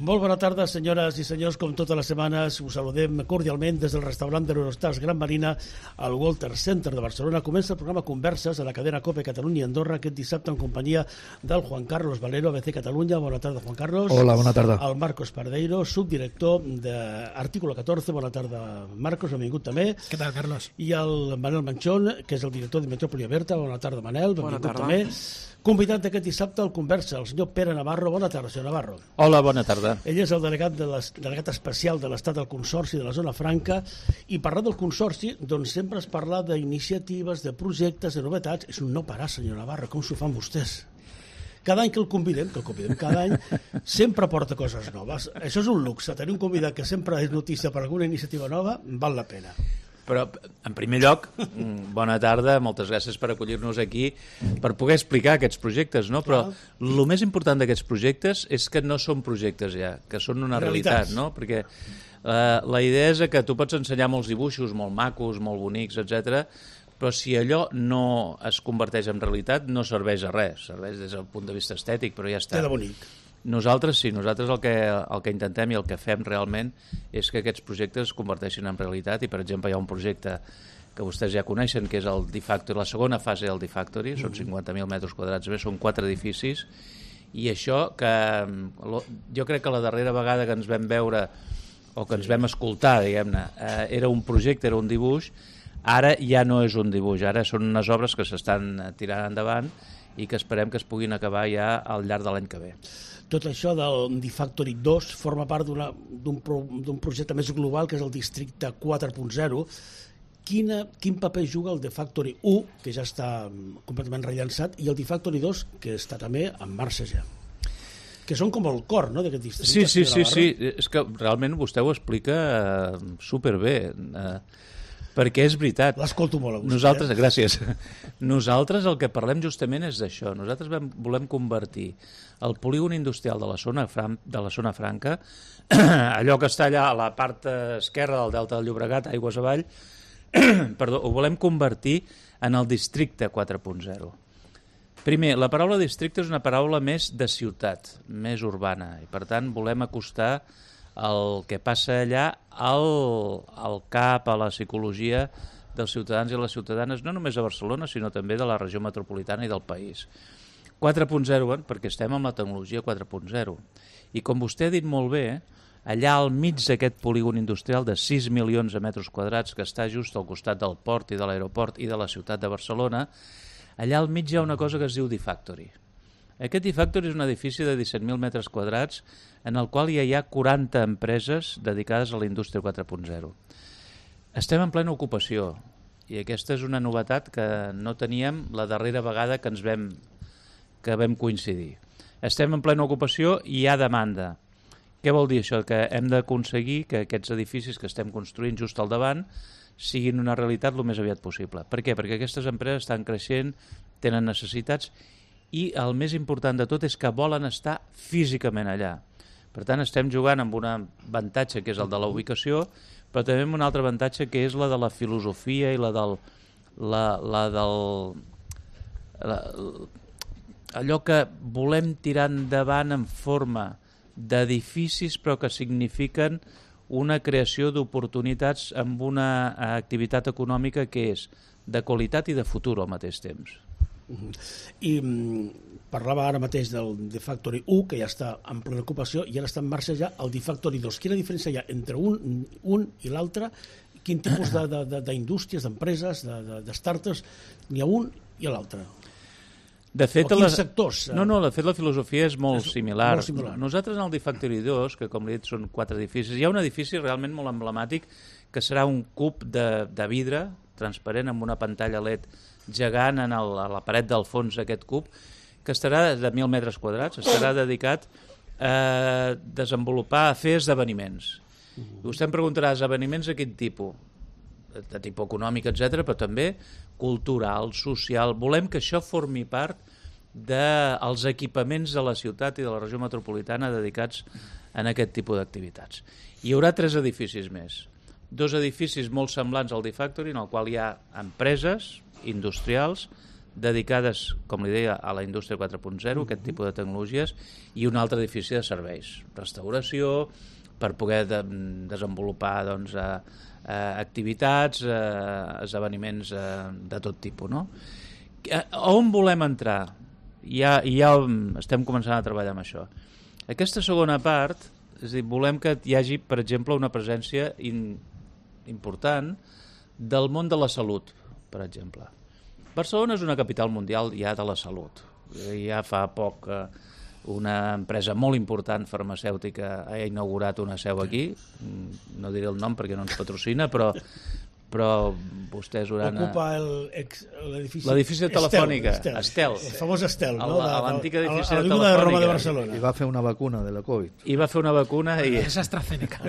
Molt bona tarda, senyores i senyors. Com totes les setmanes, us saludem cordialment des del restaurant de l'Eurostars Gran Marina al Walter Center de Barcelona. Comença el programa Converses a la cadena COPE Catalunya i Andorra aquest dissabte en companyia del Juan Carlos Valero, ABC Catalunya. Bona tarda, Juan Carlos. Hola, bona tarda. El Marcos Pardeiro, subdirector d'Artículo 14. Bona tarda, Marcos, benvingut també. Què tal, Carlos? I el Manel Manchón, que és el director de Metròpoli Aberta. Bona tarda, Manel, benvingut també. Convidat d'aquest dissabte al Conversa, el senyor Pere Navarro. Bona tarda, senyor Navarro. Hola, bona tarda. Ell és el delegat especial de l'Estat del Consorci de la Zona Franca, i parlar del Consorci, doncs sempre es parla d'iniciatives, de projectes, de novetats. És un no parar, senyor Navarro, com s'ho fan vostès? Cada any que el convidem cada any, sempre porta coses noves. Això és un luxe, tenir un convidat que sempre és notícia per alguna iniciativa nova, val la pena. Però, en primer lloc, bona tarda, moltes gràcies per acollir-nos aquí, per poder explicar aquests projectes, no? Però el més important d'aquests projectes és que no són projectes ja, que són una realitat, no? Perquè la idea és que tu pots ensenyar molts dibuixos, molt macos, molt bonics, etc., però si allò no es converteix en realitat, no serveix a res, serveix des del punt de vista estètic, però ja està. Queda bonic. Nosaltres el que intentem i el que fem realment és que aquests projectes es converteixin en realitat, i per exemple hi ha un projecte que vostès ja coneixen, que és el D-Factory, la segona fase del D-Factory, són 50.000 metres quadrats més, són 4 edificis, i això que jo crec que la darrera vegada que ens vam veure o que ens vam escoltar, diguem-ne, era un projecte, era un dibuix, ara ja no és un dibuix, ara són unes obres que s'estan tirant endavant i que esperem que es puguin acabar ja al llarg de l'any que ve. Tot això del D-Factory 2 forma part d'un projecte més global, que és el Districte 4.0. Quin paper juga el D-Factory 1, que ja està completament rellançat, i el D-Factory 2, que està també en marxa ja? Que són com el cor, no?, d'aquest districte. Sí. És que realment vostè ho explica superbé. Perquè és veritat. L'escolto molt a vostè. Nosaltres, gràcies. Nosaltres el que parlem justament és d'això. Nosaltres volem convertir el polígon industrial de la zona franca, allò que està allà a la part esquerra del Delta del Llobregat, aigües avall, ho volem convertir en el districte 4.0. Primer, la paraula districte és una paraula més de ciutat, més urbana, i per tant volem acostar el que passa allà al cap, a la psicologia dels ciutadans i les ciutadanes, no només a Barcelona, sinó també de la regió metropolitana i del país. 4.0, perquè estem amb la tecnologia 4.0. I com vostè ha dit molt bé, allà al mig d'aquest polígon industrial de 6 milions de metres quadrats, que està just al costat del port i de l'aeroport i de la ciutat de Barcelona, allà al mig hi ha una cosa que es diu D-Factory. Aquest D-Factory és un edifici de 17.000 metres quadrats en el qual ja hi ha 40 empreses dedicades a la indústria 4.0. Estem en plena ocupació i aquesta és una novetat que no teníem la darrera vegada que vam coincidir. Estem en plena ocupació i hi ha demanda. Què vol dir això? Que hem d'aconseguir que aquests edificis que estem construint just al davant siguin una realitat el més aviat possible. Per què? Perquè aquestes empreses estan creixent, tenen necessitats, i el més important de tot és que volen estar físicament allà. Per tant, estem jugant amb un avantatge que és el de la ubicació, però també amb un altre avantatge que és la de la filosofia i allò que volem tirar endavant en forma d'edificis, però que signifiquen una creació d'oportunitats amb una activitat econòmica que és de qualitat i de futur al mateix temps. I parlava ara mateix del D-Factory 1, que ja està en plena ocupació, i ara està en marxa ja el D-Factory 2. Quina diferència hi ha entre un i l'altre? Quin tipus d'indústries, d'empreses, de startups n'hi ha un i l'altre? De fet, quins sectors? De fet, la filosofia és molt similar. Molt similar. Nosaltres en el D-Factory 2, que com li he dit són 4 edificis, hi ha un edifici realment molt emblemàtic que serà un cub de vidre transparent amb una pantalla LED gegant a la paret del fons d'aquest cub, que estarà de 1.000 metres quadrats, estarà dedicat a desenvolupar, a fer esdeveniments. Vostè em preguntarà, esdeveniments de quin tipus? De tipus econòmic, etc., però també cultural, social. Volem que això formi part dels equipaments de la ciutat i de la regió metropolitana dedicats a aquest tipus d'activitats. Hi haurà 3 edificis més. 2 edificis molt semblants al D-Factory, en el qual hi ha empreses industrials dedicades, com li deia, a la indústria 4.0, aquest tipus de tecnologies, i un altre edifici de serveis, restauració, per poder desenvolupar doncs, activitats, esdeveniments de tot tipus. No? On volem entrar? Ja estem començant a treballar amb això. Aquesta segona part, és a dir, volem que hi hagi, per exemple, una presència important del món de la salut, per exemple. Barcelona és una capital mundial ja de la salut. Ja fa poc una empresa molt important farmacèutica ha inaugurat una seu aquí, no diré el nom perquè no ens patrocina, però vostès hauran... Ocupa l'edifici de Telefònica, Estel. El famós Estel, no? L'antic edifici de Telefònica. De Roma de Barcelona. I va fer una vacuna de la Covid. I va fer una vacuna i... És AstraZeneca.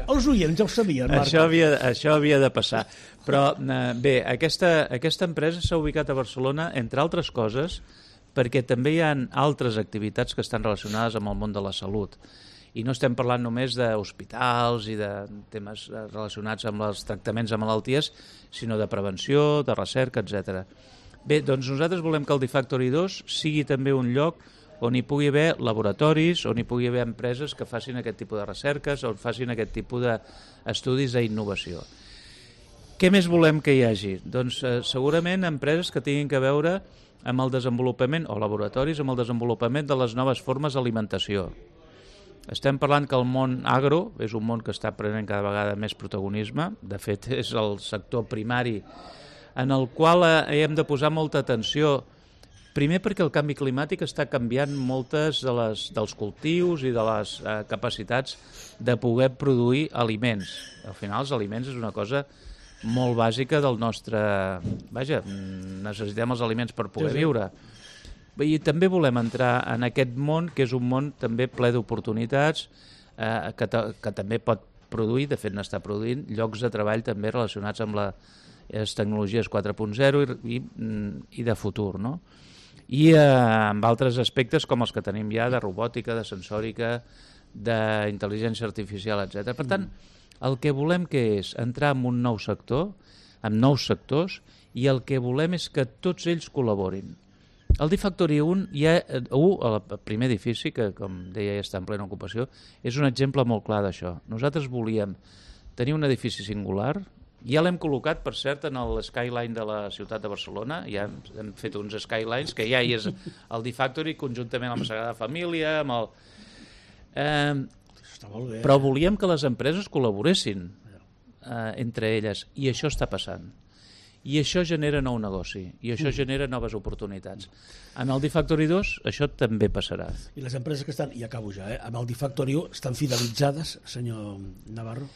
Els oients ja ho sabien, Marc. Això havia de passar. Però bé, aquesta empresa s'ha ubicat a Barcelona, entre altres coses, perquè també hi ha altres activitats que estan relacionades amb el món de la salut. I no estem parlant només d'hospitals i de temes relacionats amb els tractaments de malalties, sinó de prevenció, de recerca, etc. Bé, doncs nosaltres volem que el D-Factory 2 sigui també un lloc on hi pugui haver laboratoris, on hi pugui haver empreses que facin aquest tipus de recerques, on facin aquest tipus d'estudis d'innovació. Què més volem que hi hagi? Doncs segurament empreses que tinguin que veure amb el desenvolupament, o laboratoris amb el desenvolupament de les noves formes d'alimentació. Estem parlant que el món agro és un món que està prenent cada vegada més protagonisme. De fet, és el sector primari en el qual hem de posar molta atenció. Primer perquè el canvi climàtic està canviant moltes dels cultius i de les capacitats de poder produir aliments. Al final, els aliments és una cosa molt bàsica del nostre... Vaja, necessitem els aliments per poder viure. I també volem entrar en aquest món, que és un món també ple d'oportunitats, que també pot produir, de fet n'està produint, llocs de treball també relacionats amb les tecnologies 4.0 i de futur, no? I amb altres aspectes com els que tenim ja de robòtica, de sensòrica, d'intel·ligència artificial, etc. Per tant, el que volem que és entrar en un nou sector, amb nous sectors, i el que volem és que tots ells col·laborin. El D-Factory 1, el primer edifici, que com deia ja està en plena ocupació, és un exemple molt clar d'això. Nosaltres volíem tenir un edifici singular, ja l'hem col·locat, per cert, en el skyline de la ciutat de Barcelona, ja hem fet uns skylines, que ja hi és el D-Factory, conjuntament amb la Sagrada Família, amb el... Està molt bé. Però volíem que les empreses col·laboressin entre elles, i això està passant. I això genera nou negoci, i això genera noves oportunitats. En el D-Factory 2 això també passarà. I les empreses que estan, i acabo ja, amb el D-Factory 1 estan fidelitzades, senyor Navarro?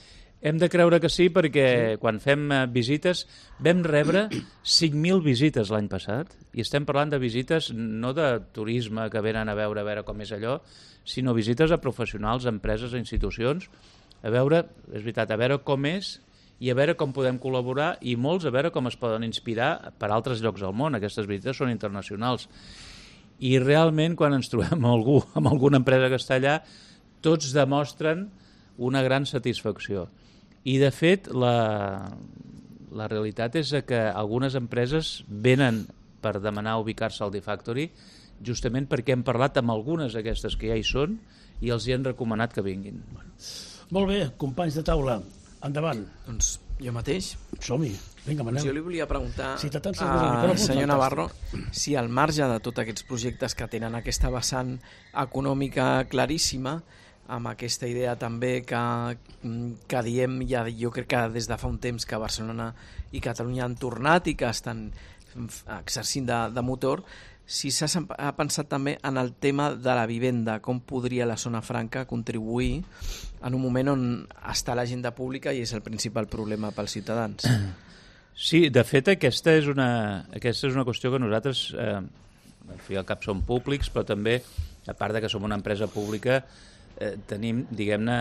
Hem de creure que sí, perquè quan fem visites vam rebre 5.000 visites l'any passat, i estem parlant de visites no de turisme que venen a veure com és allò, sinó visites a professionals, a empreses, a institucions, a veure, és veritat, a veure com és i a veure com podem col·laborar, i molts a veure com es poden inspirar per altres llocs del món. Aquestes visites són internacionals. I realment, quan ens trobem amb alguna empresa que està allà, tots demostren una gran satisfacció. I, de fet, la realitat és que algunes empreses venen per demanar ubicar-se al D-Factory justament perquè hem parlat amb algunes d'aquestes que ja hi són i els hi han recomanat que vinguin. Molt bé, companys de taula, endavant. Doncs jo mateix. Som-hi, vinga, Manel. Jo li volia preguntar al senyor Navarro si al marge de tots aquests projectes que tenen aquesta vessant econòmica claríssima, amb aquesta idea també que diem, ja jo crec que des de fa un temps que Barcelona i Catalunya han tornat i que estan exercint de motor, si s'ha pensat també en el tema de la vivenda, com podria la zona franca contribuir en un moment on està l'agenda pública i és el principal problema pels ciutadans. Sí, de fet aquesta és una qüestió que nosaltres al fi i al cap som públics, però també, a part de que som una empresa pública, tenim, diguem-ne,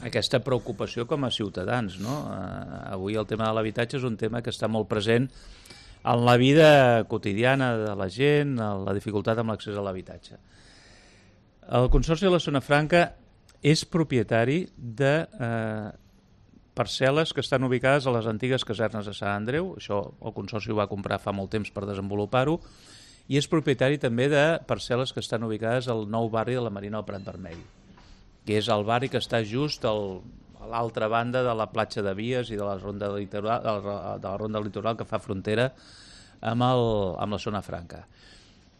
aquesta preocupació com a ciutadans, no? Avui el tema de l'habitatge és un tema que està molt present en la vida quotidiana de la gent, la dificultat amb l'accés a l'habitatge. El Consorci de la Zona Franca és propietari parcel·les que estan ubicades a les antigues casernes de Sant Andreu. Això el Consorci ho va comprar fa molt temps per desenvolupar-ho, i és propietari també de parcel·les que estan ubicades al nou barri de la Marina del Prat Vermell, que és el barri que està just a l'altra banda de la platja de Vies i de la ronda litoral que fa frontera amb la zona franca.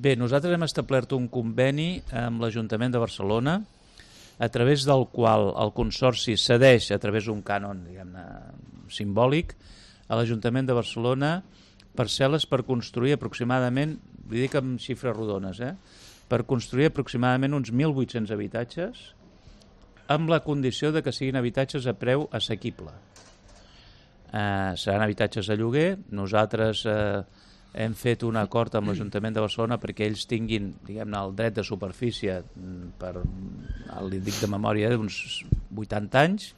Bé, nosaltres hem establert un conveni amb l'Ajuntament de Barcelona, a través del qual el Consorci cedeix, a través d'un cànon simbòlic, a l'Ajuntament de Barcelona parcel·les per construir aproximadament, li dic amb xifres rodones, per construir aproximadament uns 1.800 habitatges, amb la condició de que siguin habitatges a preu assequible. Seran habitatges de lloguer. Nosaltres hem fet un acord amb l'Ajuntament de Barcelona perquè ells tinguin, diguem-ne, el dret de superfície per, li dic de memòria, d'uns 80 anys,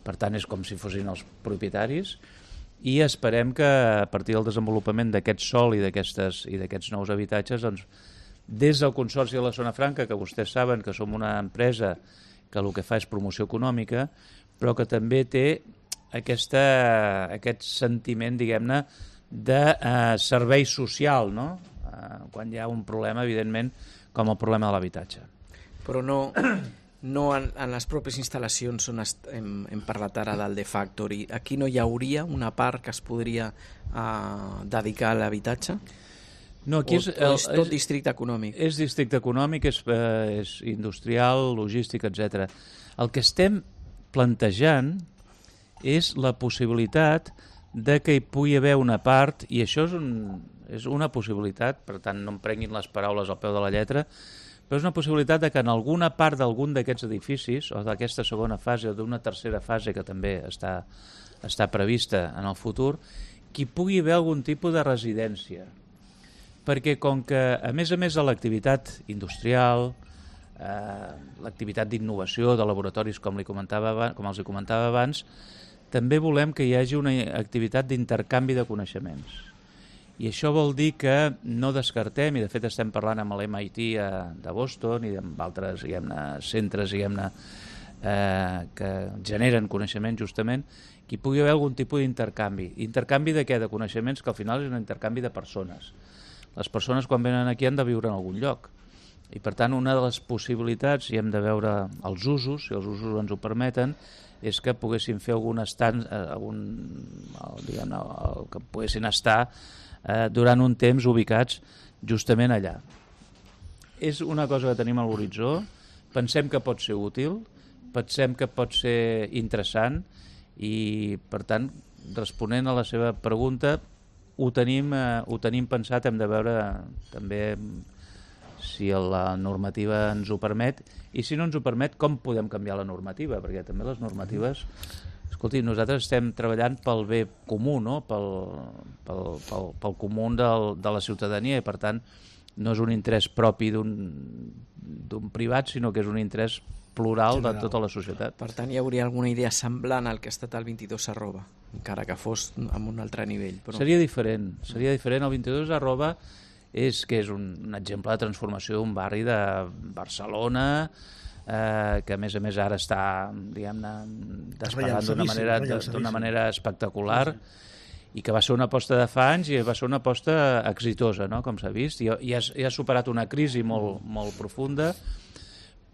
per tant és com si fossin els propietaris, i esperem que a partir del desenvolupament d'aquest sòl i d'aquests nous habitatges, doncs, des del Consorci de la Zona Franca, que vostès saben que som una empresa que el que fa és promoció econòmica, però que també té aquest sentiment, diguem-ne, de servei social, no? Quan hi ha un problema, evidentment, com el problema de l'habitatge. Però no en les pròpies instal·lacions on hem parlat ara del The Factory, aquí no hi hauria una part que es podria dedicar a l'habitatge? No, aquí és tot districte econòmic? És districte econòmic, és industrial, logístic, etc. El que estem plantejant és la possibilitat de que hi pugui haver una part, i això és una possibilitat, per tant no em prenguin les paraules al peu de la lletra, però és una possibilitat de que en alguna part d'algun d'aquests edificis, o d'aquesta segona fase o d'una tercera fase que també està prevista en el futur, que hi pugui haver algun tipus de residència. Perquè com que, a més de l'activitat industrial, l'activitat d'innovació de laboratoris, com els comentava abans, també volem que hi hagi una activitat d'intercanvi de coneixements. I això vol dir que no descartem, i de fet estem parlant amb l'MIT de Boston i amb altres centres que generen coneixement justament, que hi pugui haver algun tipus d'intercanvi. Intercanvi de què? De coneixements, que al final és un intercanvi de persones. Les persones quan venen aquí han de viure en algun lloc. I per tant una de les possibilitats, i hem de veure els usos, si els usos ens ho permeten, és que poguessin fer que poguessin estar durant un temps ubicats justament allà. És una cosa que tenim a l'horitzó, pensem que pot ser útil, pensem que pot ser interessant i, per tant, responent a la seva pregunta, ho tenim pensat, hem de veure també si la normativa ens ho permet, i si no ens ho permet, com podem canviar la normativa, perquè també les normatives... Escolti, nosaltres estem treballant pel bé comú, no? pel comú de la ciutadania, i per tant no és un interès propi d'un privat, sinó que és un interès plural general de tota la societat. Per tant, hi hauria alguna idea semblant al que ha estat el 22 arroba, encara que fos amb un altre nivell. Però... Seria diferent. El 22 arroba és un exemple de transformació d'un barri de Barcelona, que a més ara està, diguem-ne, despegant d'una manera espectacular, i que va ser una aposta de fa anys i va ser una aposta exitosa, no? Com s'ha vist, i ha superat una crisi molt profunda,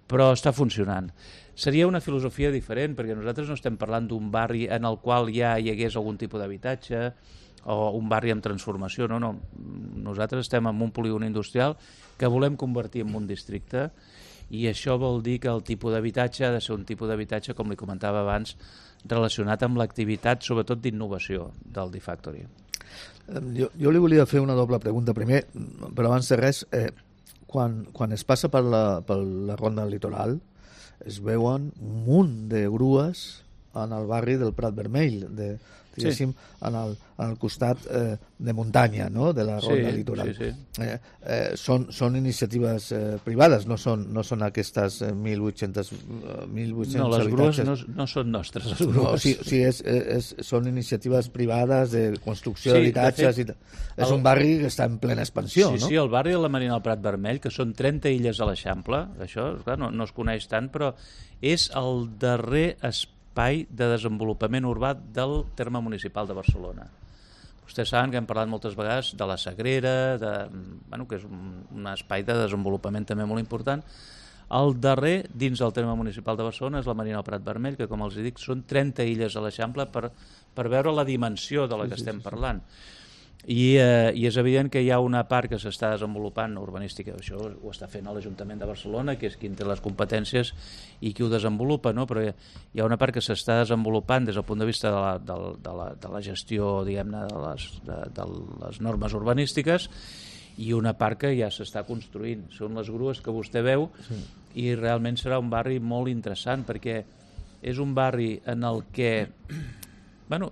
però està funcionant. Seria una filosofia diferent, perquè nosaltres no estem parlant d'un barri en el qual ja hi hagués algun tipus d'habitatge o un barri amb transformació, no. Nosaltres estem en un polígon industrial que volem convertir en un districte, i això vol dir que el tipus d'habitatge ha de ser un tipus d'habitatge, com li comentava abans, relacionat amb l'activitat, sobretot d'innovació, del The Factory. Jo li volia fer una doble pregunta. Primer, però abans de res, quan es passa per la ronda litoral, es veuen un munt de grues en el barri del Prat Vermell, diguéssim, al costat de muntanya, no?, de la ronda litoral. Són iniciatives privades, no són aquestes 1.800 no, les grues no són nostres, les grues. Són iniciatives privades de construcció d'habitatges. És un barri que està en plena expansió, no? Sí, el barri de la Marina del Prat Vermell, que són 30 illes a l'Eixample, això no es coneix tant, però és el darrer espai l'espai de desenvolupament urbà del terme municipal de Barcelona. Vostès saben que hem parlat moltes vegades de la Sagrera, que és un espai de desenvolupament també molt important. El darrer, dins del terme municipal de Barcelona, és la Marina del Prat Vermell, que, com els dic, són 30 illes a l'Eixample per veure la dimensió de la que estem parlant. I és evident que hi ha una part que s'està desenvolupant urbanística, això ho està fent l'Ajuntament de Barcelona, que és qui té les competències i qui ho desenvolupa, no? Però hi ha una part que s'està desenvolupant des del punt de vista de la gestió, diguem-ne, de les normes urbanístiques, i una part que ja s'està construint. Són les grues que vostè veu, i realment serà un barri molt interessant, perquè és un barri en el que...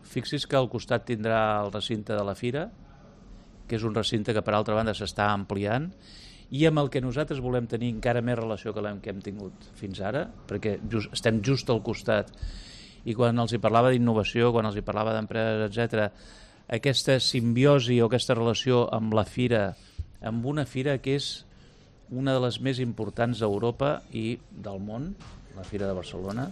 fixi's que al costat tindrà el recinte de la Fira, que és un recinte que per altra banda s'està ampliant, i amb el que nosaltres volem tenir encara més relació que hem tingut fins ara, perquè estem just al costat, i quan els hi parlava d'innovació, quan els hi parlava d'empreses, etc., aquesta simbiosi o aquesta relació amb la Fira, amb una fira que és una de les més importants d'Europa i del món, la Fira de Barcelona,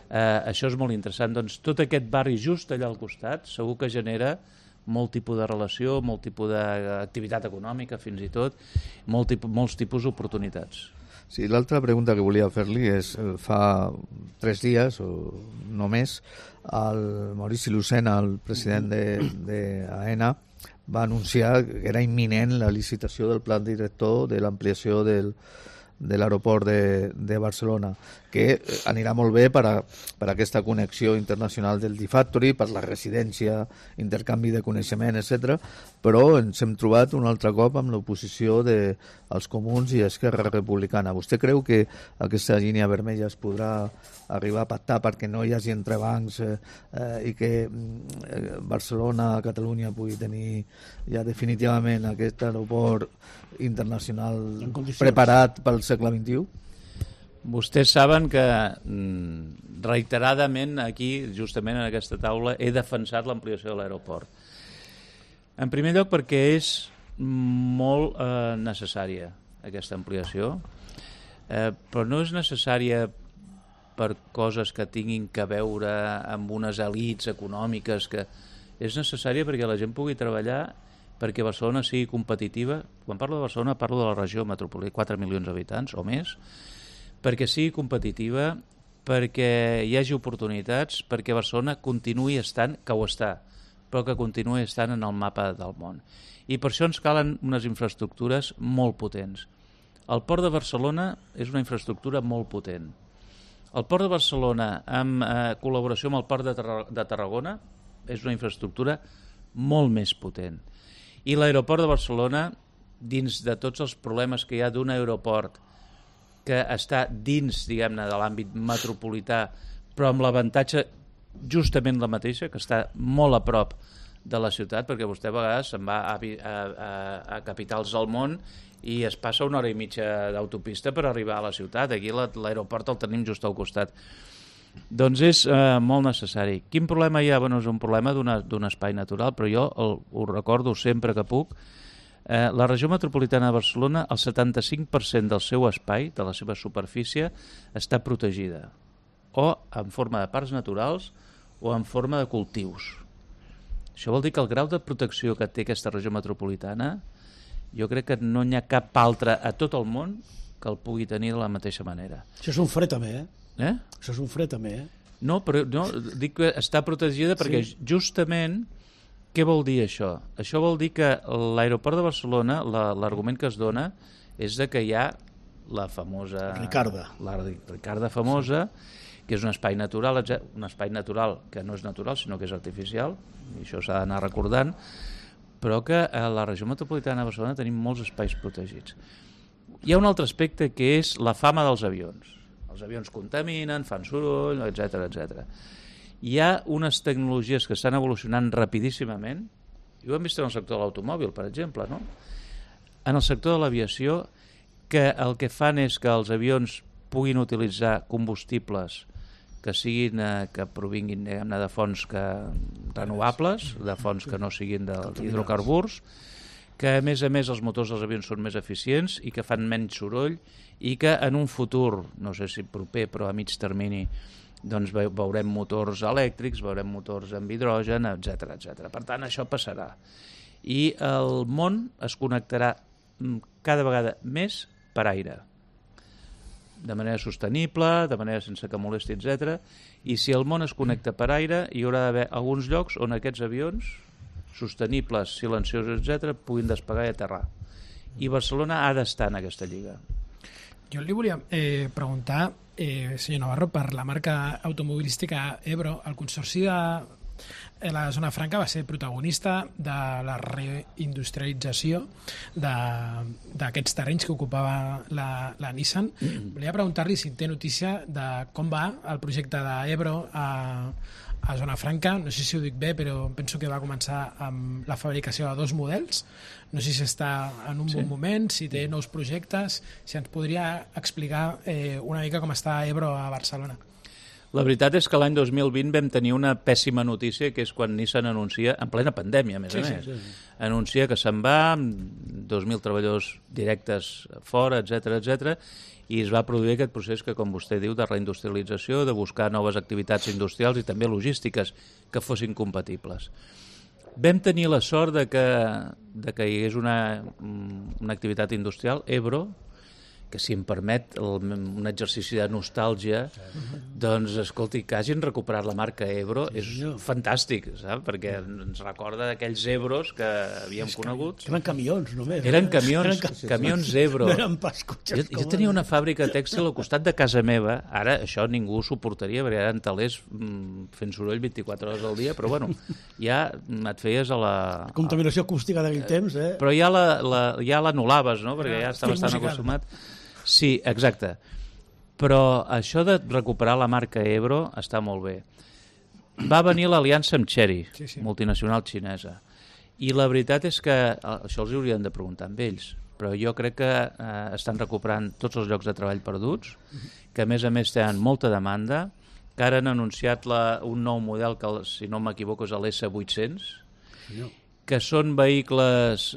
això és molt interessant. Doncs tot aquest barri just allà al costat segur que genera molt tipus de relació, molt tipus d'activitat econòmica fins i tot, molts tipus d'oportunitats. Sí, l'altra pregunta que volia fer-li és, fa 3 dies o no més, el Maurici Lucena, el president d'AENA, va anunciar que era imminent la licitació del pla director de l'ampliació de l'aeroport de Barcelona, que anirà molt bé per aquesta connexió internacional del D-Factory, per la residència, intercanvi de coneixement, etc. Però ens hem trobat un altre cop amb l'oposició dels Comuns i Esquerra Republicana. Vostè creu que aquesta línia vermella es podrà arribar a pactar perquè no hi hagi entrebancs i que Barcelona, Catalunya pugui tenir ja definitivament aquest aeroport internacional preparat pel segle XXI? Vostès saben que reiteradament aquí, justament en aquesta taula, he defensat l'ampliació de l'aeroport. En primer lloc perquè és molt necessària aquesta ampliació, però no és necessària per coses que tinguin que veure amb unes elits econòmiques, que és necessària perquè la gent pugui treballar, perquè Barcelona sigui competitiva. Quan parlo de Barcelona parlo de la regió metropolitana, 4 milions d'habitants o més, perquè sigui competitiva, perquè hi hagi oportunitats, perquè Barcelona continuï estant, que ho està, però que continuï estant en el mapa del món. I per això ens calen unes infraestructures molt potents. El Port de Barcelona és una infraestructura molt potent. El Port de Barcelona, en col·laboració amb el Port de Tarragona, és una infraestructura molt més potent. I l'aeroport de Barcelona, dins de tots els problemes que hi ha d'un aeroport que està dins, diguem-ne, de l'àmbit metropolità, però amb l'avantatge justament la mateixa, que està molt a prop de la ciutat, perquè vostè a vegades se'n va a capitals del món i es passa 1 hora i mitja d'autopista per arribar a la ciutat. Aquí l'aeroport el tenim just al costat. Doncs és molt necessari. Quin problema hi ha? Bueno, és un problema d'un espai natural, però jo ho recordo sempre que puc. La regió metropolitana de Barcelona, el 75% del seu espai, de la seva superfície, està protegida, o en forma de parcs naturals o en forma de cultius. Això vol dir que el grau de protecció que té aquesta regió metropolitana, jo crec que no n'hi ha cap altre a tot el món que el pugui tenir de la mateixa manera. Això és un fre també, Això és un fre també, No, però no, dic que està protegida perquè justament... Què vol dir això? Això vol dir que l'aeroport de Barcelona, l'argument que es dona és de que hi ha la famosa... La Ricarda famosa, que és un espai natural, un espai natural que no és natural, sinó que és artificial, i això s'ha d'anar recordant, però que a la regió metropolitana de Barcelona tenim molts espais protegits. Hi ha un altre aspecte que és la fama dels avions. Els avions contaminen, fan soroll, etc. Hi ha unes tecnologies que estan evolucionant rapidíssimament, i ho hem vist en el sector de l'automòbil, per exemple, no? En el sector de l'aviació, que el que fan és que els avions puguin utilitzar combustibles que provinguin, diguem-ne, de fonts renovables, de fonts que no siguin d'hidrocarburs, que a més els motors dels avions són més eficients i que fan menys soroll, i que en un futur, no sé si proper però a mig termini, doncs veurem motors elèctrics, veurem motors amb hidrogen, etc etc. Per tant, això passarà. I el món es connectarà cada vegada més per aire, de manera sostenible, de manera sense que molesti, etc. I si el món es connecta per aire, hi haurà d'haver alguns llocs on aquests avions sostenibles, silenciosos, etc., puguin despegar i aterrar. I Barcelona ha d'estar en aquesta lliga. Jo li volia preguntar, senyor Navarro, per la marca automobilística Ebro. El Consorci de la Zona Franca va ser protagonista de la reindustrialització d'aquests terrenys que ocupava la Nissan. Volia preguntar-li si té notícia de com va el projecte d'Ebro a Zona Franca. No sé si ho dic bé, però penso que va començar amb la fabricació de 2 models. No sé si està en un bon moment, si té nous projectes, si ens podria explicar una mica com està Ebro a Barcelona. La veritat és que l'any 2020 vam tenir una pèssima notícia, que és quan Nissan anuncia, en plena pandèmia, a més a més, anuncia que se'n va, 2.000 treballadors directes fora, etc, i es va produir aquest procés que, com vostè diu, de reindustrialització, de buscar noves activitats industrials i també logístiques que fossin compatibles. Vam tenir la sort de que hi hagués una activitat industrial, Ebro, que si em permet un exercici de nostàlgia, doncs, escolti, que hagin recuperat la marca Ebro és fantàstic, saps? Perquè ens recorda d'aquells Ebros que havíem conegut. Eren camions, només. Eren camions Ebro. No eren pas cotxes. Jo tenia una fàbrica tèxtil al costat de casa meva, ara això ningú ho suportaria, perquè eren telers fent soroll 24 hores al dia, però bueno, ja et feies a la... Contaminació acústica d'aquell temps, Però ja l'anul·laves, no? Perquè ja estaves tan acostumat. Sí, exacte. Però això de recuperar la marca Ebro està molt bé. Va venir l'aliança amb Chery, multinacional xinesa. I la veritat és que això els haurien de preguntar amb ells, però jo crec que estan recuperant tots els llocs de treball perduts, que a més tenen molta demanda, que ara han anunciat un nou model que, si no m'equivoco, és l'S800, que són vehicles...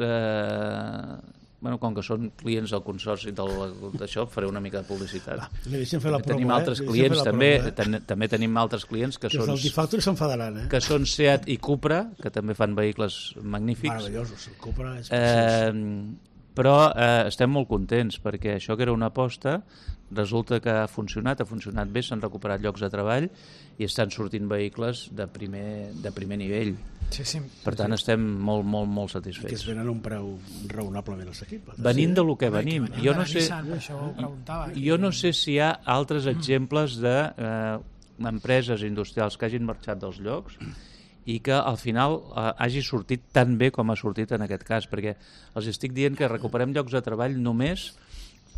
com que són clients del consorci d'això, faré una mica de publicitat. Tenim altres clients, també tenim altres clients que són... Els Gifactory s'enfadaran, que són Seat i Cupra, que també fan vehicles magnífics. Meravellosos, el Cupra és però estem molt contents, perquè això que era una aposta, resulta que ha funcionat bé, s'han recuperat llocs de treball i estan sortint vehicles de primer nivell. Per tant, estem molt, molt, molt satisfets. I que es venen a un preu raonablement assequible. Venint del que venim. Jo no sé si hi ha altres exemples d'empreses industrials que hagin marxat dels llocs i que al final hagi sortit tan bé com ha sortit en aquest cas, perquè els estic dient que recuperem llocs de treball només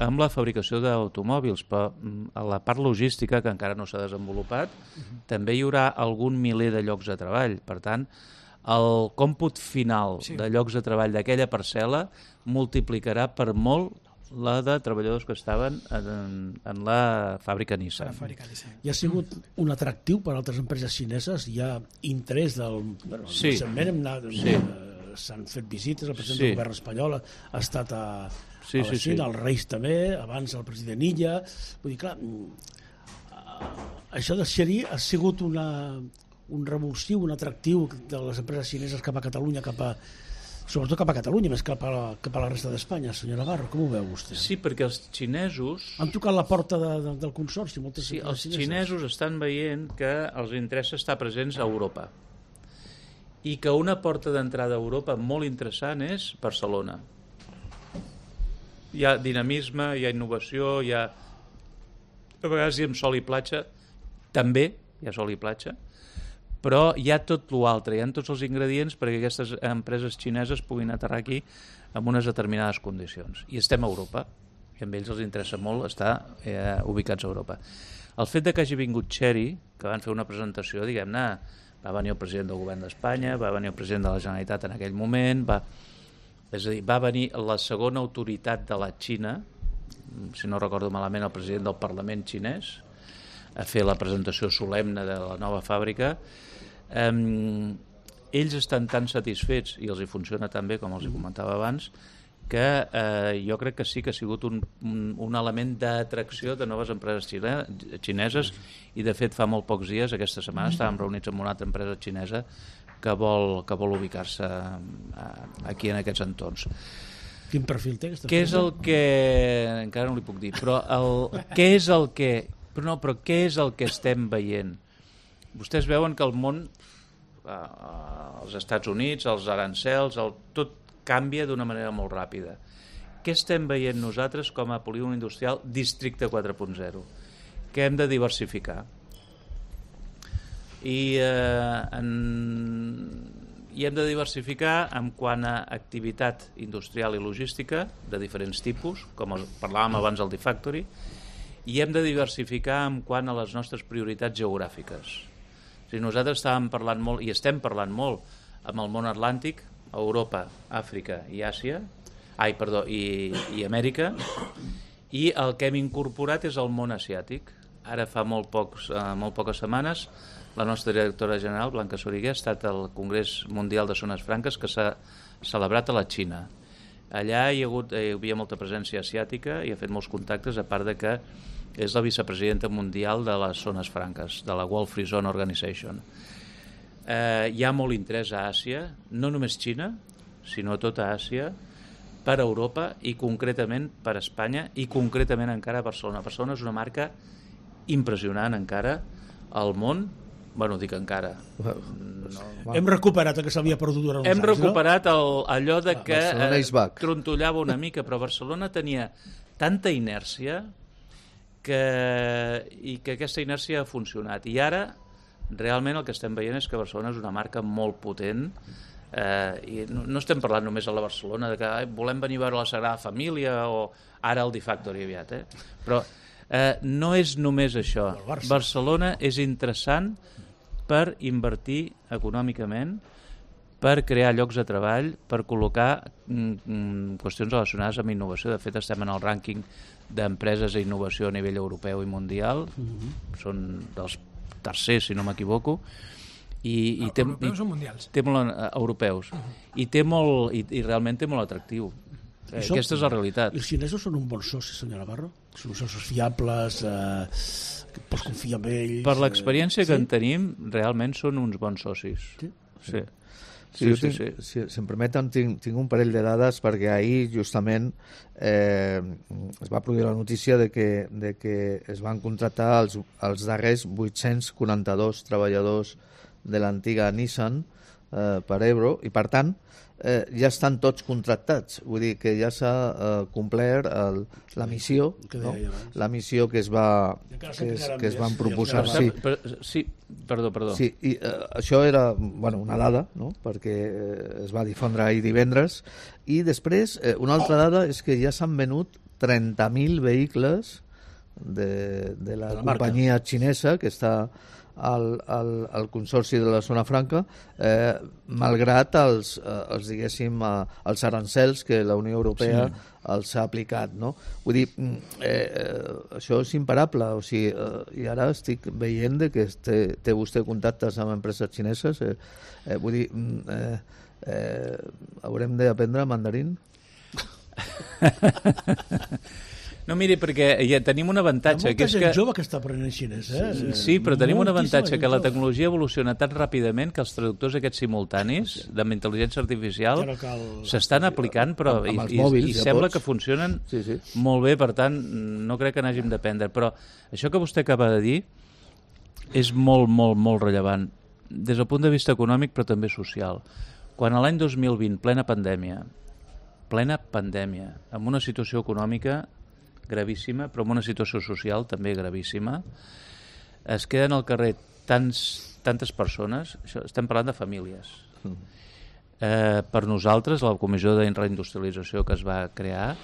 amb la fabricació d'automòbils, però a la part logística, que encara no s'ha desenvolupat, també hi haurà algun miler de llocs de treball. Per tant, el còmput final de llocs de treball d'aquella parcel·la multiplicarà per molt la de treballadors que estaven en la fàbrica Nissan. I ha sigut un atractiu per a altres empreses xineses? Hi ha interès del... Recentment s'han fet visites, el president del govern espanyol ha estat a la Xina, els Reis també, abans el president Illa. Vull dir, clar, això de Chery ha sigut un revulsiu, un atractiu de les empreses xineses cap a Catalunya, sobretot cap a Catalunya, més cap a la resta d'Espanya. Senyor Navarro, com ho veu vostè? Sí, perquè els xinesos... Han tocat la porta del consorci. Sí, els xinesos estan veient que els interessa estar presents a Europa i que una porta d'entrada a Europa molt interessant és Barcelona. Hi ha dinamisme, hi ha innovació, hi ha... A vegades hi ha sol i platja, també hi ha sol i platja, però hi ha tot l'altre, hi ha tots els ingredients perquè aquestes empreses xineses puguin aterrar aquí en unes determinades condicions. I estem a Europa, i a ells els interessa molt estar ubicats a Europa. El fet de que hagi vingut Chery, que van fer una presentació, diguem-ne, va venir el president del govern d'Espanya, va venir el president de la Generalitat en aquell moment, és a dir, va venir la segona autoritat de la Xina, si no recordo malament el president del Parlament xinès, a fer la presentació solemne de la nova fàbrica. Ells estan tan satisfets, i els hi funciona tan bé com els hi comentava abans, que jo crec que sí que ha sigut un element d'atracció de noves empreses xineses, i de fet fa molt pocs dies, aquesta setmana, estàvem reunits amb una altra empresa xinesa que vol ubicar-se aquí en aquests entorns. Quin perfil té aquesta Què és el que... Encara no li puc dir, però què és el que... Però què és el que estem veient? Vostès veuen que el món, els Estats Units, els arancels, tot canvia d'una manera molt ràpida. Què estem veient nosaltres com a polígon industrial districte 4.0? Que hem de diversificar. I hem de diversificar en quant a activitat industrial i logística de diferents tipus, com parlàvem abans del D-Factory, i hem de diversificar en quant a les nostres prioritats geogràfiques. O sigui, nosaltres estàvem parlant molt, i estem parlant molt, amb el món atlàntic, Europa, Àfrica i Àsia, i Amèrica, i el que hem incorporat és el món asiàtic. Ara fa molt poques setmanes la nostra directora general, Blanca Soriguer, ha estat al Congrés Mundial de Zones Franques que s'ha celebrat a la Xina. Allà hi havia molta presència asiàtica i ha fet molts contactes, a part de que és la vicepresidenta mundial de les zones franques, de la World Free Zone Organization. Hi ha molt interès a Àsia, no només Xina, sinó tota Àsia, per Europa i concretament per Espanya i concretament encara a Barcelona. Barcelona és una marca impressionant encara al món. Bueno, dic encara. Hem recuperat el que s'havia perdut durant uns anys, Hem recuperat allò de que trontollava una mica, però Barcelona tenia tanta inèrcia i que aquesta inèrcia ha funcionat. I ara, realment, el que estem veient és que Barcelona és una marca molt potent, i no estem parlant només a la Barcelona de que volem venir a veure la Sagrada Família o ara el D-Factory aviat, però no és només això. Barcelona és interessant per invertir econòmicament, per crear llocs de treball, per col·locar qüestions relacionades amb innovació. De fet, estem en el rànquing d'empreses d'innovació innovació a nivell europeu i mundial. Són dels tercers, si no m'equivoco. Europeus o mundials? Europeus. I realment té molt atractiu. Aquesta és la realitat. Els xinesos són un bon soci, senyor Navarro? Són socis fiables, que pots confiar en ells... Per l'experiència que en tenim, realment són uns bons socis. Sí. Si em permeten, tinc un parell de dades, perquè ahir justament es va produir la notícia de que es van contractar els darrers 842 treballadors de l'antiga Nissan per Ebro, i per tant ja estan tots contractats, vull dir que ja s'ha complert la missió, no? La missió que es van proposar. Sí, perdó. Sí, i això era una dada, no? Perquè es va difondre ahir divendres, i després una altra dada és que ja s'han venut 30.000 vehicles de la companyia xinesa que està al Consorci de la Zona Franca, malgrat els arancels que la Unió Europea els ha aplicat, no? Vull dir, això és imparable, o sigui, i ara estic veient que té vostè contactes amb empreses xineses, vull dir, haurem d'aprendre mandarín? No, miri, perquè ja tenim un avantatge. Hi ha molta gent jove que està aprenent xinès, Sí, però tenim un avantatge, que la tecnologia evoluciona tan ràpidament que els traductors aquests simultanis amb intel·ligència artificial s'estan aplicant, però i sembla que funcionen molt bé, per tant, no crec que n'hàgim d'aprendre. Però això que vostè acaba de dir és molt, molt, molt rellevant, des del punt de vista econòmic, però també social. Quan a l'any 2020, plena pandèmia, amb una situació econòmica gravíssima, però amb una situació social també gravíssima, es queden al carrer tantes persones, estem parlant de famílies. Per nosaltres, la Comissió de Reindustrialització que es va crear,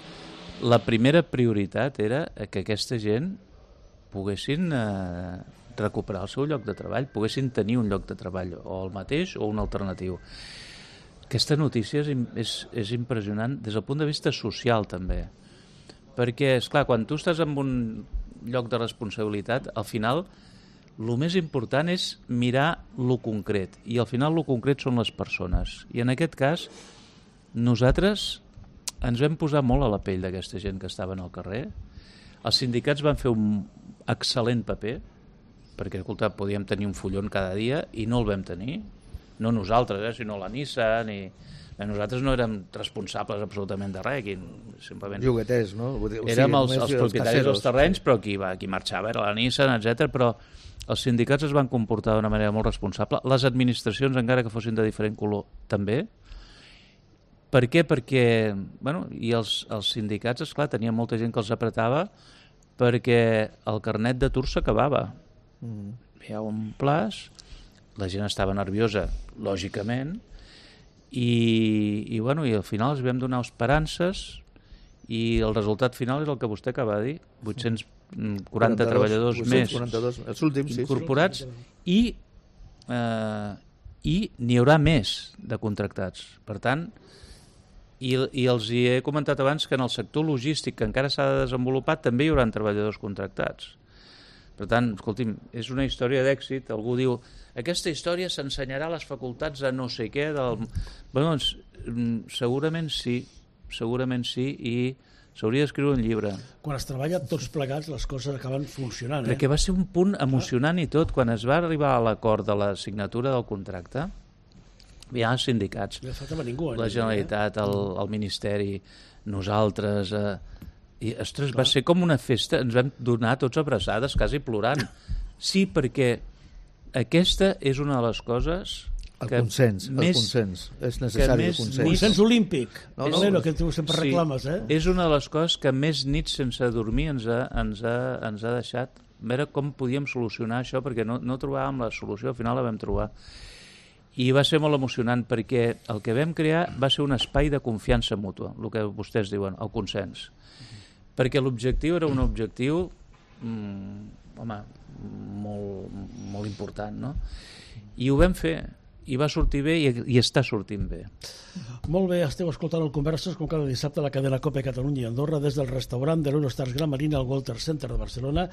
la primera prioritat era que aquesta gent poguessin recuperar el seu lloc de treball, poguessin tenir un lloc de treball, o el mateix o un alternatiu. Aquesta notícia és impressionant des del punt de vista social també, perquè, esclar, quan tu estàs en un lloc de responsabilitat, al final el més important és mirar lo concret, i al final lo concret són les persones. I en aquest cas, nosaltres ens vam posar molt a la pell d'aquesta gent que estaven al carrer. Els sindicats van fer un excel·lent paper, perquè, escolta, podíem tenir un fullon cada dia i no el vam tenir. No nosaltres, sinó la Nissan i... Nosaltres no érem responsables absolutament de res, simplement... Jogueters, no? Érem els propietaris dels terrenys, però qui marxava era la Nissan, etc. Però els sindicats es van comportar d'una manera molt responsable. Les administracions, encara que fossin de diferent color, també. Per què? Perquè, bueno, i els sindicats, esclar, tenia molta gent que els apretava perquè el carnet d'atur s'acabava. Hi ha un plaç, la gent estava nerviosa, lògicament, i al final els vam donar esperances i el resultat final és el que vostè acaba de dir, 840 treballadors més els últims, incorporats i n'hi haurà més de contractats. Per tant, i els hi he comentat abans que en el sector logístic que encara s'ha de desenvolupar també hi haurà treballadors contractats. Per tant, escolti'm, és una història d'èxit. Algú diu, aquesta història s'ensenyarà a les facultats de no sé què. Bueno, doncs, segurament sí, i s'hauria d'escriure un llibre. Quan es treballa tots plegats, les coses acaben funcionant. Perquè va ser un punt emocionant i tot. Quan es va arribar a l'acord de la signatura del contracte, hi ha sindicats, la Generalitat, el Ministeri, nosaltres... I, ostres, va ser com una festa, ens vam donar tots abraçades, quasi plorant. Sí, perquè aquesta és una de les coses el consens, és necessari el consens. Consens olímpic, Valero, que tu sempre reclames, eh? És una de les coses que més nits sense dormir ens ha deixat veure com podíem solucionar això, perquè no trobàvem la solució, al final la vam trobar. I va ser molt emocionant, perquè el que vam crear va ser un espai de confiança mútua, el que vostès diuen, el consens. Perquè l'objectiu era un objectiu molt important, no? I ho vam fer, i va sortir bé i està sortint bé. Molt bé, esteu escoltant el Converses com cada dissabte a la cadena COPE Catalunya i Andorra des del restaurant de l'Eurostars Gran Marina al Walter Center de Barcelona.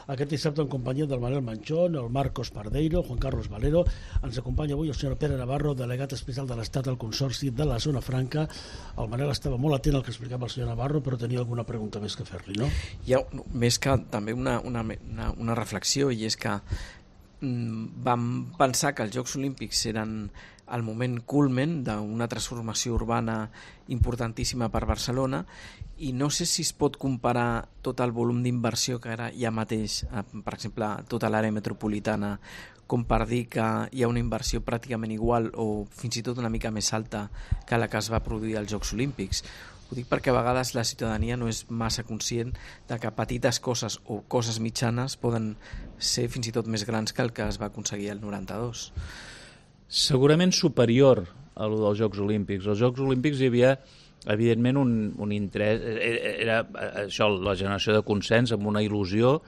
Aquest dissabte en companyia del Manel Manchón, el Marcos Pardeiro, Juan Carlos Valero. Ens acompanya avui el senyor Pere Navarro, delegat especial de l'Estat al Consorci de la Zona Franca. El Manel estava molt atent al que explicava el senyor Navarro, però tenia alguna pregunta més que fer-li, no? Hi ha més que també una reflexió, i és que vam pensar que els Jocs Olímpics eren el moment culmen d'una transformació urbana importantíssima per Barcelona, i no sé si es pot comparar tot el volum d'inversió que ara hi ha mateix, per exemple, tota l'àrea metropolitana, com per dir que hi ha una inversió pràcticament igual o fins i tot una mica més alta que la que es va produir als Jocs Olímpics. Ho dic perquè a vegades la ciutadania no és massa conscient de que petites coses o coses mitjanes poden ser fins i tot més grans que el que es va aconseguir el 92. Segurament superior a lo dels Jocs Olímpics. Als Jocs Olímpics hi havia, evidentment, un interès, era això, la generació de consens amb una il·lusió,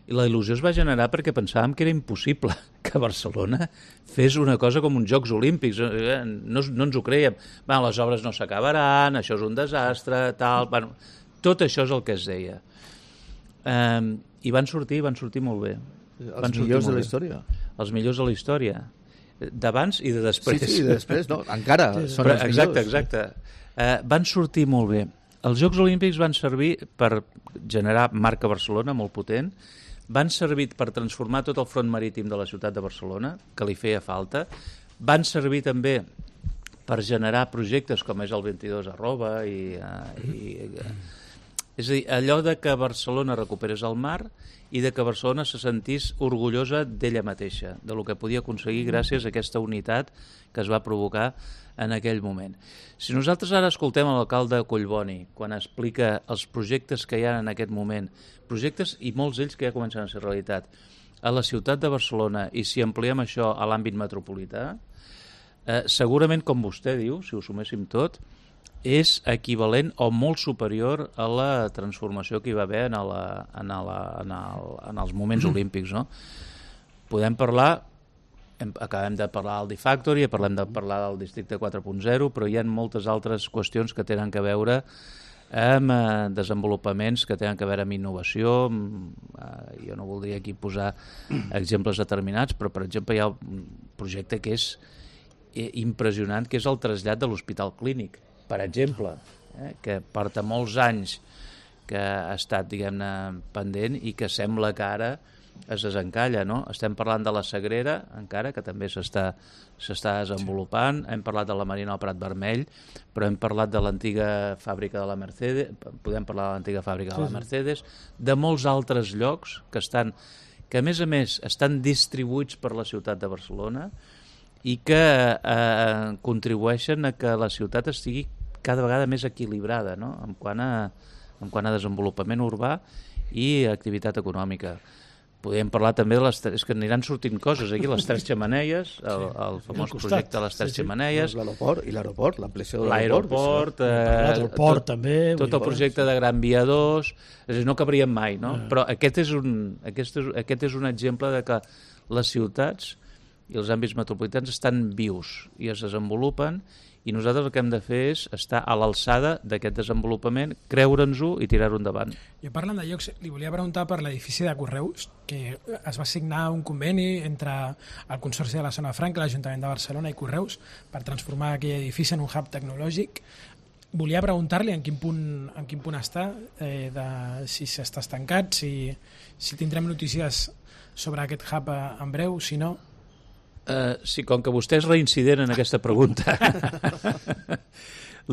i la il·lusió es va generar perquè pensàvem que era impossible que Barcelona fes una cosa com uns Jocs Olímpics. No ens ho creiem. Les obres no s'acabaran, això és un desastre, tal... Bueno, tot això és el que es deia. I van sortir molt bé. Els millors de la història. Els millors de la història. D'abans i de després. Sí, de després, no, encara són els millors. Exacte. Van sortir molt bé. Els Jocs Olímpics van servir per generar marca Barcelona molt potent, van servir per transformar tot el front marítim de la ciutat de Barcelona, que li feia falta, van servir també per generar projectes com és el 22 arroba és a dir, allò de que Barcelona recuperés el mar i de que Barcelona se sentís orgullosa d'ella mateixa, de lo que podia aconseguir gràcies a aquesta unitat que es va provocar en aquell moment. Si nosaltres ara escoltem l'alcalde Collboni quan explica els projectes que hi ha en aquest moment, projectes i molts d'ells que ja comencen a ser realitat, a la ciutat de Barcelona, i si ampliem això a l'àmbit metropolità, segurament, com vostè diu, si ho suméssim tot, és equivalent o molt superior a la transformació que hi va haver en els moments olímpics, no? Podem parlar, acabem de parlar del D-Factory, parlem de parlar del Districte 4.0, però hi ha moltes altres qüestions que tenen a veure amb desenvolupaments que tenen a veure amb innovació. Jo no voldria aquí posar exemples determinats, però per exemple hi ha un projecte que és impressionant, que és el trasllat de l'Hospital Clínic, per exemple. que porta molts anys que ha estat, diguem-ne, pendent i que sembla que ara es desencalla, no? Estem parlant de la Sagrera, encara, que també s'està desenvolupant. Hem parlat de la Marina al Prat Vermell, però hem parlat de l'antiga fàbrica de la Mercedes, podem parlar de l'antiga fàbrica de la Mercedes, de molts altres llocs que a més estan distribuïts per la ciutat de Barcelona i que contribueixen a que la ciutat estigui cada vegada més equilibrada, no? en quant a desenvolupament urbà i activitat econòmica. Podríem parlar també de és que aniran sortint coses aquí, les Tres Xemeneies, el famós projecte de les Tres Xemeneies. L'aeroport, l'ampliació de l'aeroport. El port també. Tot el projecte de Gran Via 2, és a dir, no cabríem mai, no? Però aquest és un exemple de que les ciutats i els àmbits metropolitans estan vius i es desenvolupen, i nosaltres el que hem de fer és estar a l'alçada d'aquest desenvolupament, creure'ns-ho i tirar-ho endavant. Jo parlant de llocs, li volia preguntar per l'edifici de Correus, que es va signar un conveni entre el Consorci de la Zona Franca, l'Ajuntament de Barcelona i Correus per transformar aquell edifici en un hub tecnològic. Volia preguntar-li en quin punt està, si s'està estancat, si tindrem notícies sobre aquest hub en breu, si no... Sí, com que vostè és reincident en aquesta pregunta,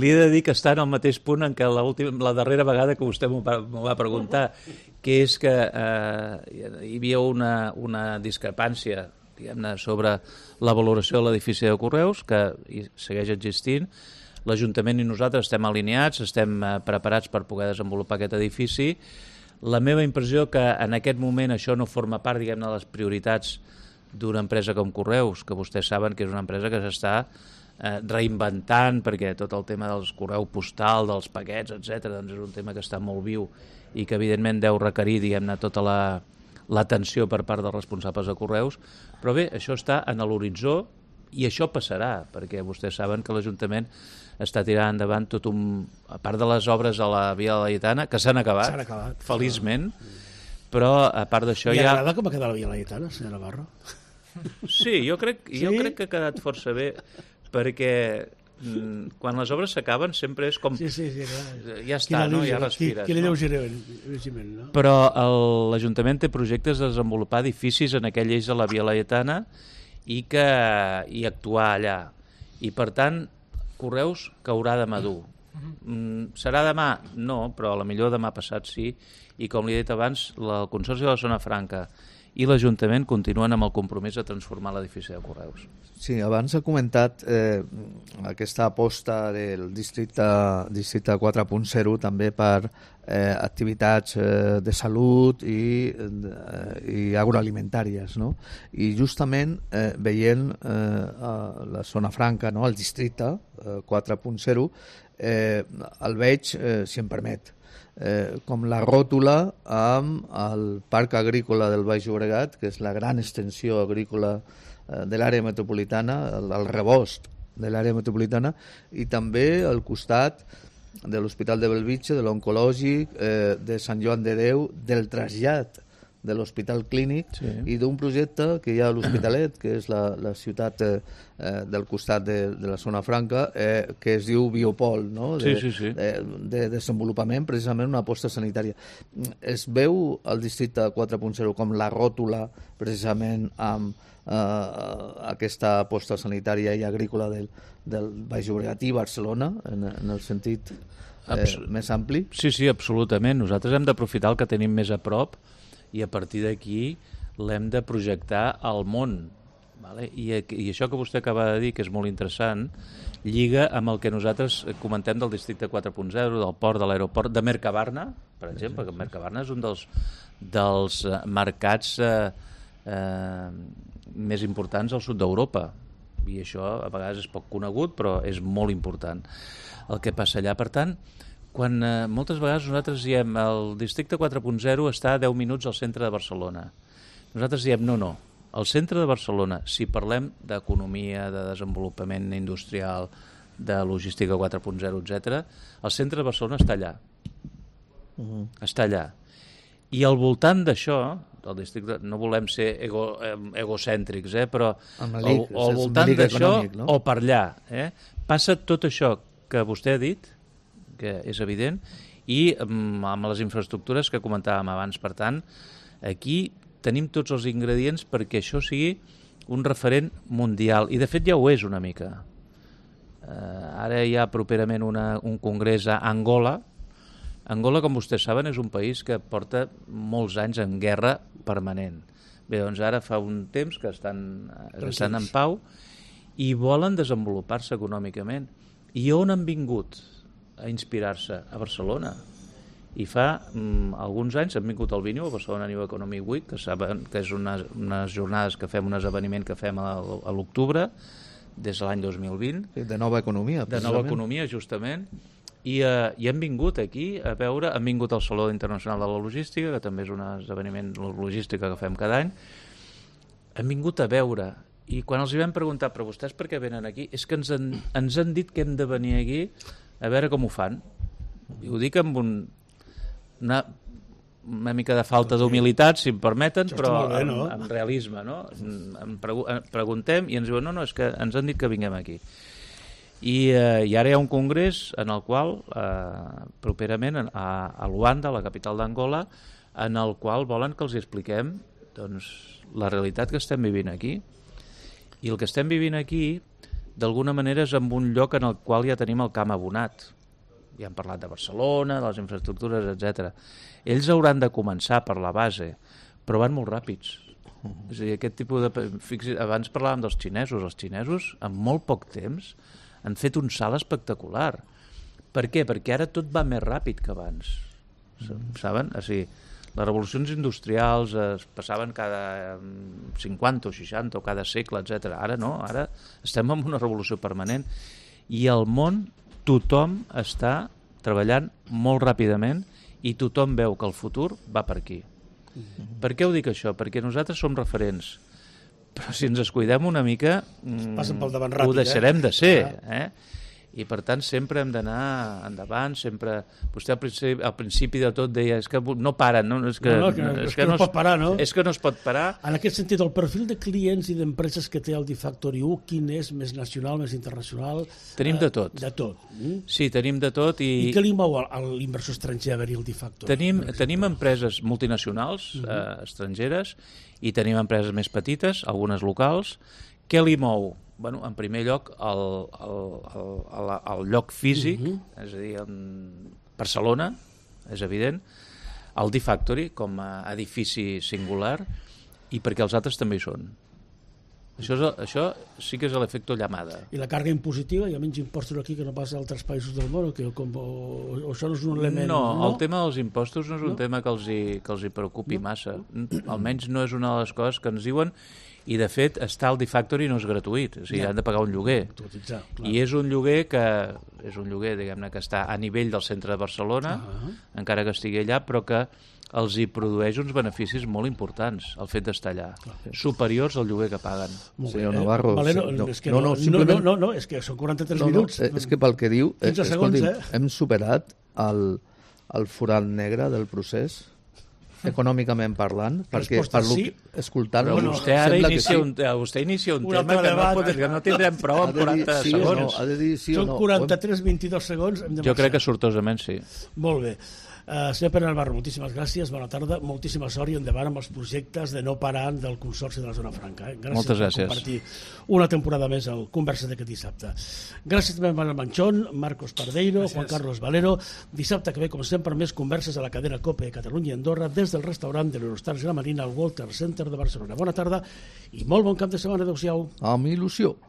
li he de dir que està en el mateix punt en què la darrera vegada que vostè m'ho va preguntar, que és que hi havia una discrepància, diguem-ne, sobre la valoració de l'edifici de Correus, que segueix existint. L'Ajuntament i nosaltres estem alineats, estem preparats per poder desenvolupar aquest edifici. La meva impressió que en aquest moment això no forma part, diguem-ne, de les prioritats d'una empresa com Correus, que vostès saben que és una empresa que s'està reinventant, perquè tot el tema dels correu postal, dels paquets, etc., doncs és un tema que està molt viu i que evidentment deu requerir, diguem-ne, tota l'atenció per part dels responsables de Correus. Però bé, això està en l'horitzó i això passarà, perquè vostès saben que l'Ajuntament està tirant endavant a part de les obres a la Via Laietana, que s'han acabat, feliçment, però a part d'això ja... Li agrada com ha quedat la Via Laietana, senyora Navarro? Sí, jo crec que ha quedat força bé, perquè quan les obres s'acaben sempre és com... Sí, ja està, no? Ja respires. Quin lleugerament, no? Però l'Ajuntament té projectes de desenvolupar edificis en aquell eix de la Via Laietana i actuar allà. I, per tant, Correus caurà de madur. Serà demà? No, però a la millor demà passat sí. I, com li he dit abans, el Consorci de la Zona Franca i l'Ajuntament continuen amb el compromís de transformar l'edifici de Correus. Sí, abans ha comentat aquesta aposta del districte 4.0 també per activitats de salut i agroalimentàries, no? I justament veient la Zona Franca, no? El districte 4.0, el veig, si em permet, com la ròtula amb el Parc Agrícola del Baix Llobregat, que és la gran extensió agrícola de l'àrea metropolitana, el rebost de l'àrea metropolitana, i també al costat de l'Hospital de Bellvitge, de l'Oncològic, de Sant Joan de Déu, del trasllat de l'Hospital Clínic, sí, i d'un projecte que hi ha a l'Hospitalet, que és la ciutat del costat de la Zona Franca, que es diu Biopol, no? De desenvolupament, precisament una aposta sanitària. Es veu el districte 4.0 com la ròtula precisament amb aquesta aposta sanitària i agrícola del Baix Llobregat i Barcelona, en el sentit més ampli? Sí, absolutament. Nosaltres hem d'aprofitar el que tenim més a prop i a partir d'aquí l'hem de projectar al món. Vale? I això que vostè acaba de dir, que és molt interessant, lliga amb el que nosaltres comentem del districte 4.0, del port, de l'aeroport, de Mercabarna, per exemple, que Mercabarna és un dels mercats més importants al sud d'Europa, i això a vegades és poc conegut, però és molt important el que passa allà. Per tant, quan moltes vegades nosaltres diem el districte 4.0 està a 10 minuts al centre de Barcelona, nosaltres diem no, al centre de Barcelona, si parlem d'economia, de desenvolupament industrial, de logística 4.0, etc., el centre de Barcelona està allà. Està allà. I al voltant d'això, el districte, no volem ser egocèntrics, però al voltant d'això, no? O per allà, passa tot això que vostè ha dit, que és evident, i amb les infraestructures que comentàvem abans. Per tant, aquí tenim tots els ingredients perquè això sigui un referent mundial, i de fet ja ho és una mica. Ara hi ha properament un congrés a Angola. Angola, com vostès saben, és un país que porta molts anys en guerra permanent. Bé, doncs ara fa un temps que estan en pau i volen desenvolupar-se econòmicament. I on han vingut a inspirar-se? A Barcelona. I fa alguns anys han vingut al Vinyo, a Barcelona New Economic Week, que saben que és unes jornades que fem, un esdeveniment que fem a l'octubre, des de l'any 2020. De nova economia, precisament. De nova economia, justament. I han vingut aquí a veure, han vingut al Saló Internacional de la Logística, que també és un esdeveniment logística que fem cada any. Han vingut a veure, i quan els hi vam preguntar, però vostès per què venen aquí? És que ens han dit que hem de venir aquí a veure com ho fan. I ho dic amb una mica de falta d'humilitat, si em permeten, però amb realisme, no? Preguntem i ens diuen, no, és que ens han dit que vinguem aquí. I ara hi ha un congrés en el qual, properament, a Luanda, la capital d'Angola, en el qual volen que els expliquem la realitat que estem vivint aquí. I el que estem vivint aquí, d'alguna manera, és en un lloc en el qual ja tenim el camp abonat. Ja hem parlat de Barcelona, de les infraestructures, etc. Ells hauran de començar per la base, però van molt ràpids. És a dir, aquest tipus de... Abans parlàvem dels xinesos. Els xinesos, en molt poc temps, han fet un salt espectacular. Per què? Perquè ara tot va més ràpid que abans. Saben? O sigui, les revolucions industrials es passaven cada 50 o 60 o cada segle, etc. Ara no, ara estem en una revolució permanent. I al món tothom està treballant molt ràpidament i tothom veu que el futur va per aquí. Per què ho dic això? Perquè nosaltres som referents, però si ens descuidem una mica ho deixarem de ser. I per tant sempre hem d'anar endavant, sempre... Vostè al principi de tot deia és que no paren, no? És que no pot parar, no? És que no es pot parar. En aquest sentit, el perfil de clients i d'empreses que té el D-Factory 1, quin és? Més nacional, més internacional? Tenim de tot. De tot. Sí, tenim de tot. I què li mou a l'inversor estranger a venir al D-Factory? Tenim empreses multinacionals, estrangeres, i tenim empreses més petites, algunes locals. Què li mou? Bueno, en primer lloc, el lloc físic, és a dir, Barcelona, és evident, el D-Factory com a edifici singular, i perquè els altres també hi són. Això sí que és l'efecte llamada. I la càrrega impositiva? Hi ha menys impostos aquí que no pas a altres països del món? O això no és un element? No, el tema dels impostos no és un tema que els hi preocupi massa. Almenys no és una de les coses que ens diuen. I, de fet, estar al D-Factory no és gratuït, o sigui, han de pagar un lloguer. I és un lloguer diguem-ne, que està a nivell del centre de Barcelona, encara que estigui allà, però que els hi produeix uns beneficis molt importants, el fet d'estar allà, superiors al lloguer que paguen. Senyor Navarro... No, és que són 43 minuts. És que pel que diu, hem superat el forat negre del procés, econòmicament parlant, perquè escoltant-lo... Vostè ara inicia un tema que no tindrem prou en 40 segons. Són 43-22 segons. Jo crec que sortosament sí. Molt bé. Senyor Pere Navarro, moltíssimes gràcies, bona tarda, moltíssima sort i endavant amb els projectes de no parar del Consorci de la Zona Franca. Moltes gràcies per compartir una temporada més al Conversa d'aquest dissabte. Gràcies també a Manuel Manchón, Marcos Pardeiro, Juan Carlos Valero. Dissabte que ve, com sempre, més converses a la cadena COPE Catalunya i Andorra des del restaurant de l'Eurostars Gramarina al Walter Center de Barcelona. Bona tarda i molt bon cap de setmana. Adéu-siau. Amb il·lusió.